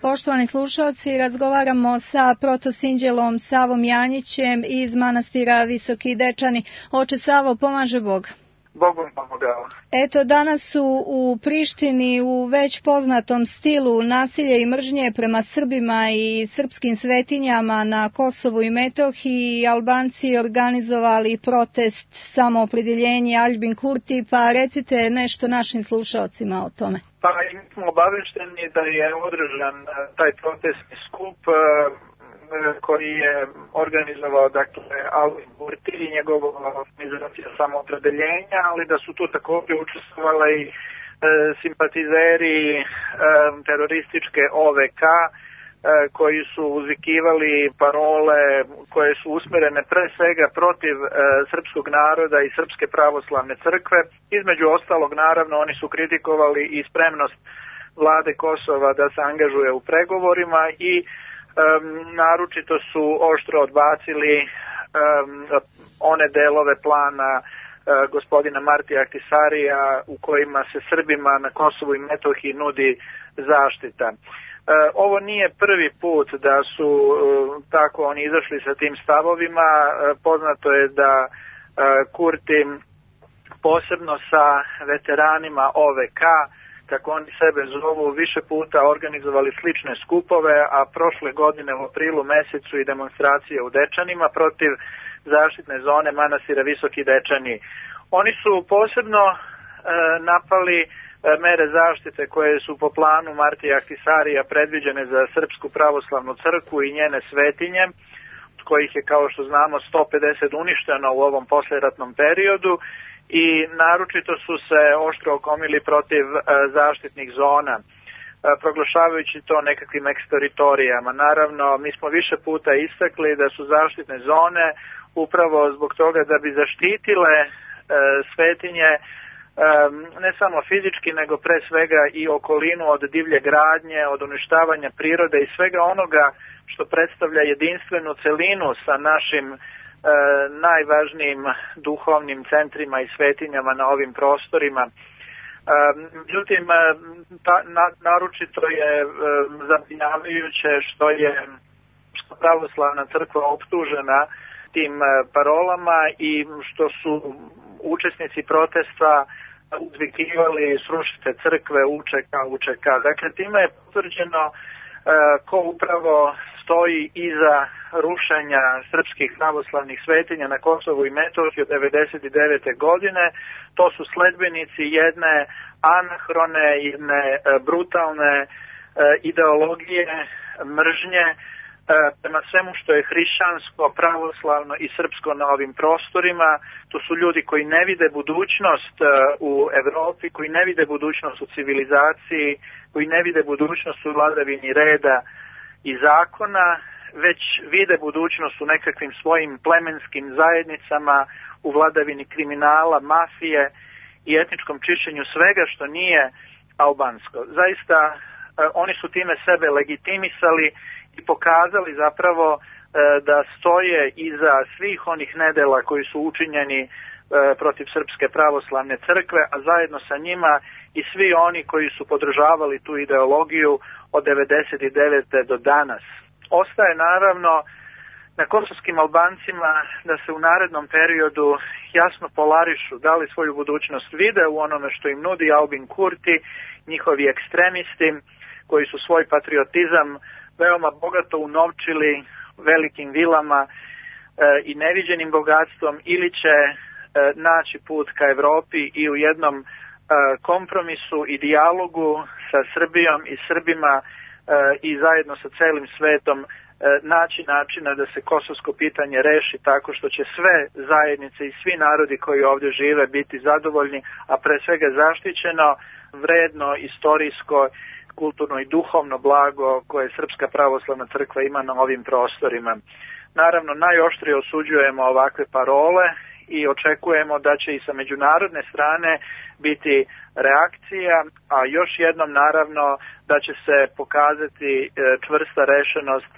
Poštovani slušalci, razgovaramo sa protosinđelom Savom Janjićem iz manastira Visoki Dečani. Oče Savo, pomaže Bog. Bogom pomogao. Eto, danas su u Prištini u već poznatom stilu nasilje i mržnje prema Srbima i srpskim svetinjama na Kosovu i Metohiji Albanci organizovali protest samoopredjeljenja Aljbin Kurti, pa recite nešto našim slušalcima o tome. Pa mi smo obavešteni da je održan taj protestni skup koji je organizovao Aljbin Kurti i njegova organizacija samoopredeljenja, ali da su tu također učestvovali i simpatizeri terorističke OVK koji su uzvikivali parole koje su usmjerene pre svega protiv srpskog naroda i Srpske pravoslavne crkve. Između ostalog, naravno, oni su kritikovali i spremnost vlade Kosova da se angažuje u pregovorima i naročito su oštro odbacili one delove plana gospodina Martija Ahtisarija u kojima se Srbima na Kosovu i Metohiji nudi zaštita. Ovo nije prvi put da su tako oni izašli sa tim stavovima. Poznato je da Kurti posebno sa veteranima OVK, kako oni sebe zovu, više puta organizovali slične skupove, a prošle godine u aprilu mesecu i demonstracije u Dečanima protiv zaštitne zone manastira Visoki Dečani. Oni su posebno napali mere zaštite koje su po planu Martija Ahtisarija predviđene za Srpsku pravoslavnu crkvu i njene svetinje, od kojih je, kao što znamo, 150 uništeno u ovom posleratnom periodu, i naročito su se oštro okomili protiv zaštitnih zona, proglašavajući to nekakvim eksteritorijama. Naravno, mi smo više puta istakli da su zaštitne zone upravo zbog toga da bi zaštitile svetinje ne samo fizički, nego pre svega i okolinu od divlje gradnje, od uništavanja prirode i svega onoga što predstavlja jedinstvenu celinu sa našim najvažnijim duhovnim centrima i svetinjama na ovim prostorima. Međutim, naročito je zabrinjavajuće što je pravoslavna crkva optužena tim parolama i što su učesnici protesta uzvikivali srušite crkve, UČK. Dakle, time je potvrđeno ko upravo stoji iza rušenja srpskih pravoslavnih svetinja na Kosovu i Metohiji od 1999. godine. To su sledbenici jedne anahrone, jedne brutalne ideologije mržnje prema svemu što je hrišćansko, pravoslavno i srpsko na ovim prostorima. To su ljudi koji ne vide budućnost u Evropi, koji ne vide budućnost u civilizaciji, koji ne vide budućnost u vladavini reda i zakona, već vide budućnost u nekakvim svojim plemenskim zajednicama, u vladavini kriminala, mafije i etničkom čišćenju svega što nije albansko. Zaista, oni su time sebe legitimisali i pokazali zapravo da stoje iza svih onih nedela koji su učinjeni protiv Srpske pravoslavne crkve, a zajedno sa njima i svi oni koji su podržavali tu ideologiju od 1999. do danas. Ostaje naravno na kosovskim Albancima da se u narednom periodu jasno polarišu, da li svoju budućnost vide u onome što im nudi Aljbin Kurti, njihovi ekstremisti koji su svoj patriotizam veoma bogato unovčili velikim vilama i neviđenim bogatstvom, ili će naći put ka Evropi i u jednom kompromisu i dijalogu sa Srbijom i Srbima i zajedno sa celim svetom naći načina da se kosovsko pitanje reši tako što će sve zajednice i svi narodi koji ovdje žive biti zadovoljni, a pre svega zaštićeno, vredno, istorijsko, kulturno i duhovno blago koje Srpska pravoslavna crkva ima na ovim prostorima. Naravno, najoštrije osuđujemo ovakve parole i očekujemo da će i sa međunarodne strane biti reakcija, a još jednom naravno da će se pokazati čvrsta rešenost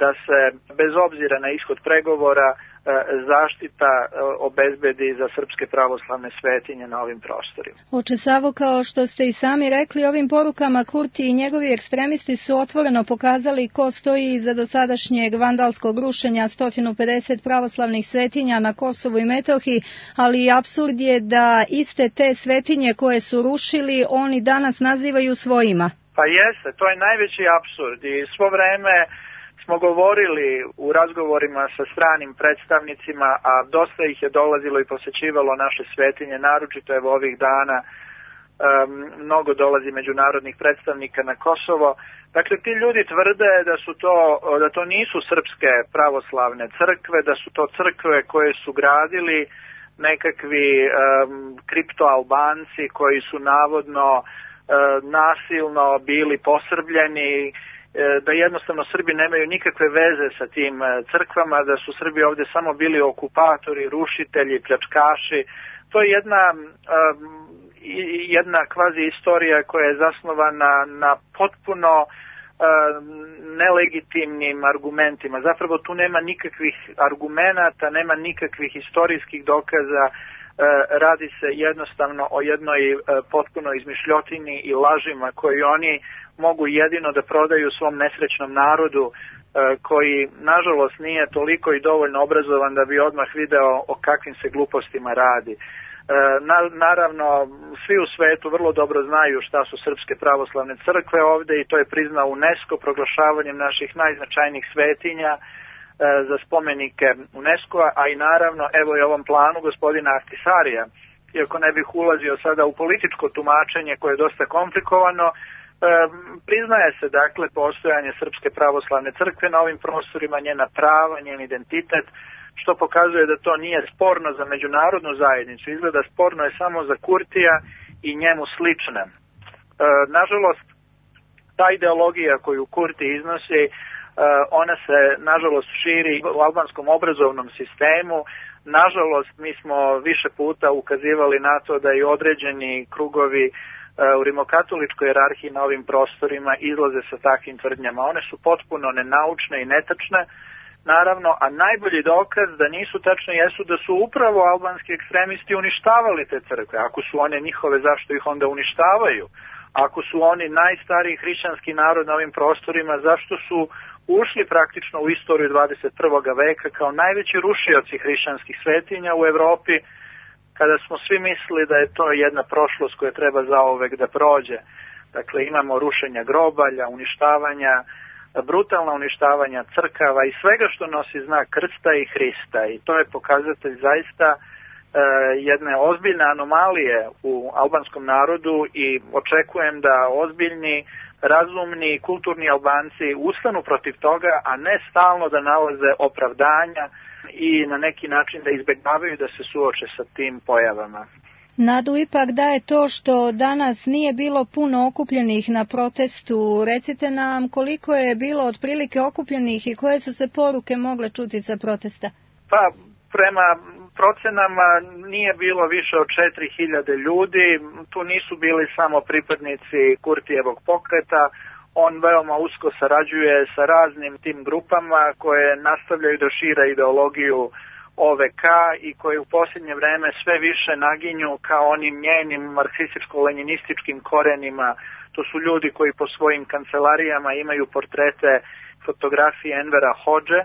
da se bez obzira na ishod pregovora zaštita obezbedi za srpske pravoslavne svetinje na ovim prostorima. Oče Savo, kao što ste i sami rekli, ovim porukama Kurti i njegovi ekstremisti su otvoreno pokazali ko stoji iza dosadašnjeg vandalskog rušenja 150 pravoslavnih svetinja na Kosovu i Metohiji, ali apsurd je da iste te svetinje koje su rušili oni danas nazivaju svojima. Pa jeste, to je najveći apsurd i svo vreme smo govorili u razgovorima sa stranim predstavnicima, a dosta ih je dolazilo i posećivalo naše svetinje, naročito evo ovih dana mnogo dolazi međunarodnih predstavnika na Kosovo. Dakle, ti ljudi tvrde da to nisu srpske pravoslavne crkve, da su to crkve koje su gradili nekakvi kriptoalbanci koji su navodno nasilno bili posrbljeni, da jednostavno Srbi nemaju nikakve veze sa tim crkvama, da su Srbi ovdje samo bili okupatori, rušitelji, pljačkaši. To je jedna kvazi istorija koja je zasnovana na potpuno nelegitimnim argumentima. Zapravo tu nema nikakvih argumenata, nema nikakvih historijskih dokaza, radi se jednostavno o jednoj potpuno izmišljotini i lažima koji oni mogu jedino da prodaju svom nesrećnom narodu koji nažalost nije toliko i dovoljno obrazovan da bi odmah video o kakvim se glupostima radi. Naravno, svi u svetu vrlo dobro znaju šta su srpske pravoslavne crkve ovde i to je priznao UNESCO proglašavanjem naših najznačajnijih svetinja za spomenike UNESCO-a, a i naravno evo i ovom planu gospodina Ahtisarija, iako ne bih ulazio sada u političko tumačenje koje je dosta komplikovano, priznaje se dakle postojanje Srpske pravoslavne crkve na ovim prostorima, njena prava, njen identitet, što pokazuje da to nije sporno za međunarodnu zajednicu, izgleda sporno je samo za Kurtija i njemu slične. Nažalost, ta ideologija koju Kurti iznosi, ona se nažalost širi u albanskom obrazovnom sistemu. Nažalost, mi smo više puta ukazivali na to da i određeni krugovi u rimokatoličkoj jerarhiji na ovim prostorima izlaze sa takvim tvrdnjama. One su potpuno nenaučne i netačne, naravno, a najbolji dokaz da nisu tačne jesu da su upravo albanski ekstremisti uništavali te crkve. Ako su one njihove, zašto ih onda uništavaju? Ako su oni najstariji hrišćanski narod na ovim prostorima, zašto su ušli praktično u istoriju 21. veka kao najveći rušioci hrišćanskih svetinja u Evropi, kada smo svi mislili da je to jedna prošlost koja treba zauvek da prođe. Dakle, imamo rušenja grobalja, uništavanja, brutalna uništavanja crkava i svega što nosi znak krsta i Hrista. I to je pokazatelj zaista jedne ozbiljne anomalije u albanskom narodu i očekujem da ozbiljni, razumni, kulturni Albanci ustanu protiv toga, a ne stalno da nalaze opravdanja i na neki način da izbegavaju da se suoče sa tim pojavama. Nadu ipak daje to što danas nije bilo puno okupljenih na protestu. Recite nam koliko je bilo otprilike okupljenih i koje su se poruke mogle čuti sa protesta? Pa, prema procenama nije bilo više od 4000 ljudi. Tu nisu bili samo pripadnici Kurtijevog pokreta. On veoma usko sarađuje sa raznim tim grupama koje nastavljaju da šire ideologiju OVK i koje u posljednje vreme sve više naginju kao onim njenim marksističko-leninističkim korenima. To su ljudi koji po svojim kancelarijama imaju portrete, fotografije Envera Hodže,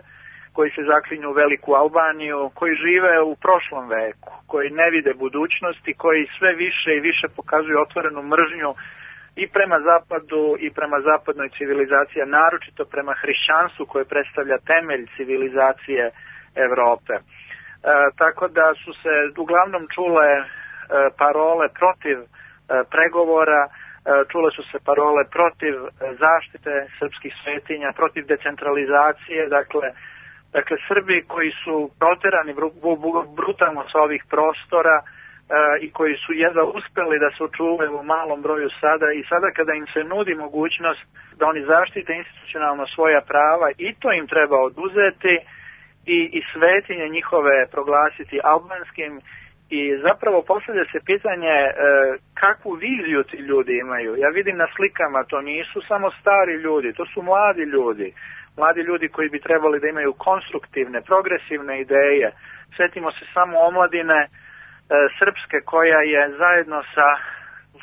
koji se zaklinju u Veliku Albaniju, koji žive u prošlom veku, koji ne vide budućnosti, koji sve više i više pokazuju otvorenu mržnju i prema zapadu i prema zapadnoj civilizaciji, naročito prema hrišćanstvu koje predstavlja temelj civilizacije Evrope. Tako da su se uglavnom čule parole protiv pregovora, čule su se parole protiv zaštite srpskih svetinja, protiv decentralizacije, dakle Srbi koji su proterani brutalno sa ovih prostora i koji su jedva uspeli da se očuvaju u malom broju sada i sada kada im se nudi mogućnost da oni zaštite institucionalno svoja prava i to im treba oduzeti i svetinje njihove proglasiti albanskim I zapravo postavlja se pitanje kakvu viziju ti ljudi imaju. Ja vidim na slikama, to nisu samo stari ljudi, to su mladi ljudi. Mladi ljudi koji bi trebali da imaju konstruktivne, progresivne ideje. Sjetimo se samo omladine srpske koja je zajedno sa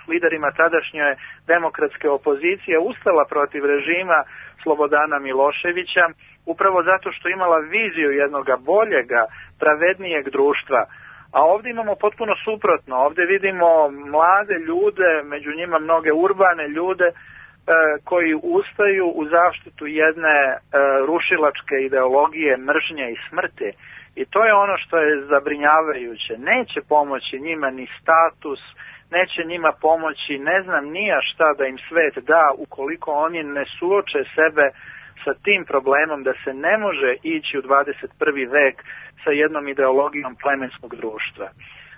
liderima tadašnje demokratske opozicije ustala protiv režima Slobodana Miloševića, upravo zato što imala viziju jednog boljega, pravednijeg društva. A ovdje imamo potpuno suprotno. Ovdje vidimo mlade ljude, među njima mnoge urbane ljude, koji ustaju u zaštitu jedne rušilačke ideologije mržnje i smrti. I to je ono što je zabrinjavajuće. Neće pomoći njima ni status, neće njima pomoći ne znam nija šta da im svet da ukoliko oni ne suoče sebe sa tim problemom da se ne može ići u 21. vek sa jednom ideologijom plemenskog društva.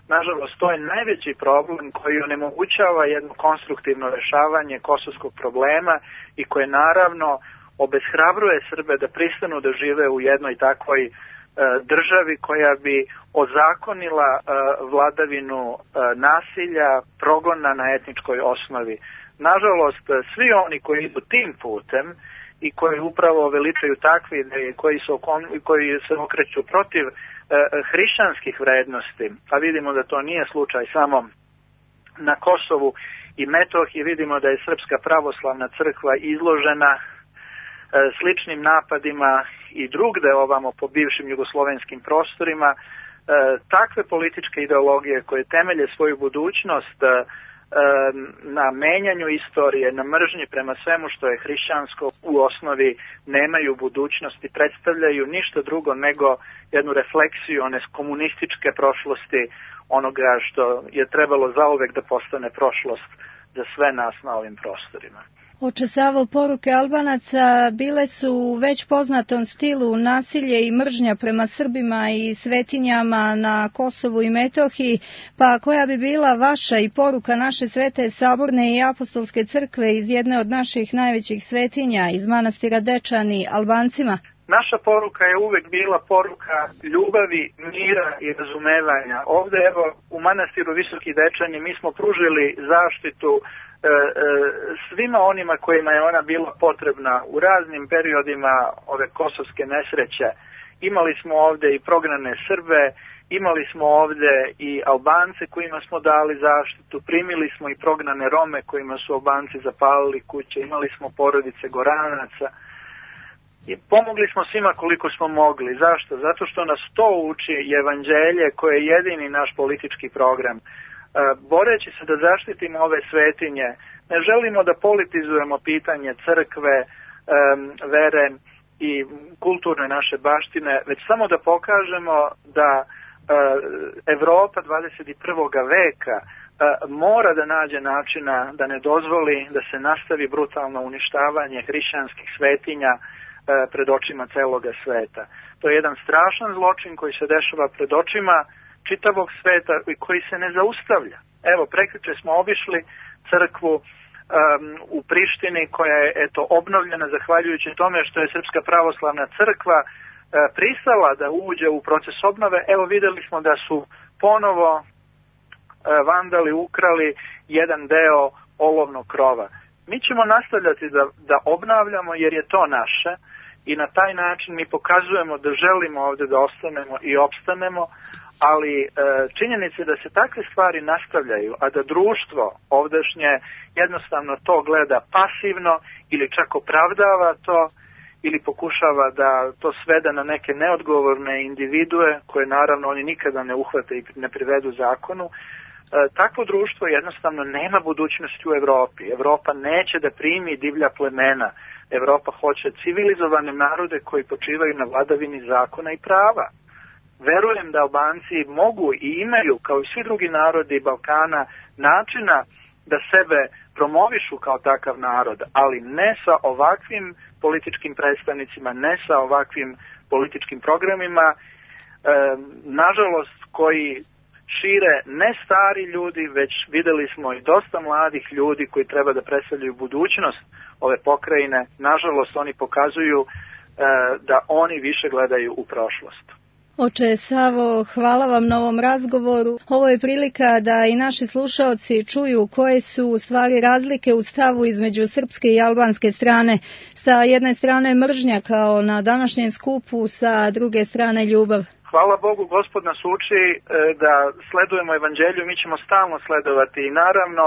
Nažalost, to je najveći problem koji onemogućava jedno konstruktivno rešavanje kosovskog problema i koje naravno obeshrabruje Srbe da pristanu da žive u jednoj takvoj državi koja bi ozakonila vladavinu nasilja, progona na etničkoj osnovi. Nažalost, svi oni koji idu tim putem i koji upravo veličaju takve ideje, koji se okreću protiv hrišćanskih vrednosti, a vidimo da to nije slučaj samo na Kosovu i Metohiji, vidimo da je Srpska pravoslavna crkva izložena sličnim napadima i drugde ovamo po bivšim jugoslovenskim prostorima. Takve političke ideologije koje temelje svoju budućnost na menjanju istorije, na mržnji prema svemu što je hrišćansko u osnovi nemaju budućnosti, predstavljaju ništa drugo nego jednu refleksiju one komunističke prošlosti, onoga što je trebalo zauvek da postane prošlost za sve nas na ovim prostorima. Oče Savo, poruke Albanaca bile su u već poznatom stilu nasilje i mržnja prema Srbima i svetinjama na Kosovu i Metohiji, pa koja bi bila vaša i poruka naše Svete Saborne i Apostolske crkve iz jedne od naših najvećih svetinja, iz manastira Dečani, Albancima? Naša poruka je uvek bila poruka ljubavi, mira i razumevanja. Ovde, evo, u manastiru Visoki Dečani mi smo pružili zaštitu svima onima kojima je ona bila potrebna u raznim periodima ove kosovske nesreće. Imali smo ovde i prognane Srbe, imali smo ovde i Albance kojima smo dali zaštitu, primili smo i prognane Rome kojima su Albanci zapalili kuće, imali smo porodice Goranaca i pomogli smo svima koliko smo mogli. Zašto? Zato što nas to uči evanđelje koje je jedini naš politički program. Boreći se da zaštitimo ove svetinje, ne želimo da politizujemo pitanje crkve, vere i kulturne naše baštine, već samo da pokažemo da Evropa 21. veka mora da nađe načina da ne dozvoli da se nastavi brutalno uništavanje hrišćanskih svetinja pred očima celoga sveta. To je jedan strašan zločin koji se dešava pred očima čitavog sveta i koji se ne zaustavlja. Evo, prekjuče smo obišli crkvu u Prištini koja je obnovljena zahvaljujući tome što je Srpska pravoslavna crkva pristala da uđe u proces obnove. Evo, videli smo da su ponovo vandali ukrali jedan deo olovnog krova. Mi ćemo nastavljati da obnavljamo jer je to naše i na taj način mi pokazujemo da želimo ovde da ostanemo i opstanemo, ali činjenica je da se takve stvari nastavljaju, a da društvo ovdašnje jednostavno to gleda pasivno ili čak opravdava to ili pokušava da to svede na neke neodgovorne individue koje naravno oni nikada ne uhvate i ne privedu zakonu. Takvo društvo jednostavno nema budućnosti u Evropi. Evropa neće da primi divlja plemena. Evropa hoće civilizovane narode koji počivaju na vladavini zakona i prava. Verujem da Albanci mogu i imaju, kao i svi drugi narodi Balkana, načina da sebe promovišu kao takav narod, ali ne sa ovakvim političkim predstavnicima, ne sa ovakvim političkim programima, nažalost koji šire ne stari ljudi, već videli smo i dosta mladih ljudi koji treba da predstavljaju budućnost ove pokrajine. Nažalost, oni pokazuju da oni više gledaju u prošlost. Oče Savo, hvala vam na ovom razgovoru. Ovo je prilika da i naši slušaoci čuju koje su u stvari razlike u stavu između srpske i albanske strane. Sa jedne strane mržnja kao na današnjem skupu, sa druge strane ljubav. Hvala Bogu, Gospod nas uči da sledujemo evanđelju, mi ćemo stalno sledovati i naravno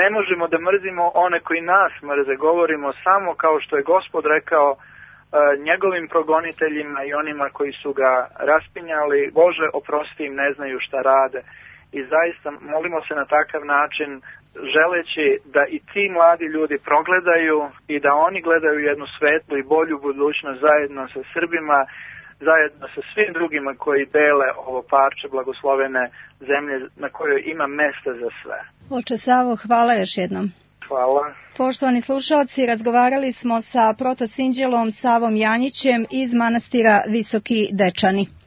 ne možemo da mrzimo one koji nas mrze, govorimo samo kao što je Gospod rekao njegovim progoniteljima i onima koji su ga raspinjali, Bože oprosti im, ne znaju šta rade. I zaista molimo se na takav način, želeći da i ti mladi ljudi progledaju i da oni gledaju jednu svetlu i bolju budućnost zajedno sa Srbima, zajedno sa svim drugima koji dele ovo parče blagoslovene zemlje na kojoj ima mesta za sve. Oče Savo, hvala još jednom. Hvala. Poštovani slušalci, razgovarali smo sa protosinđelom Savom Janjićem iz manastira Visoki Dečani.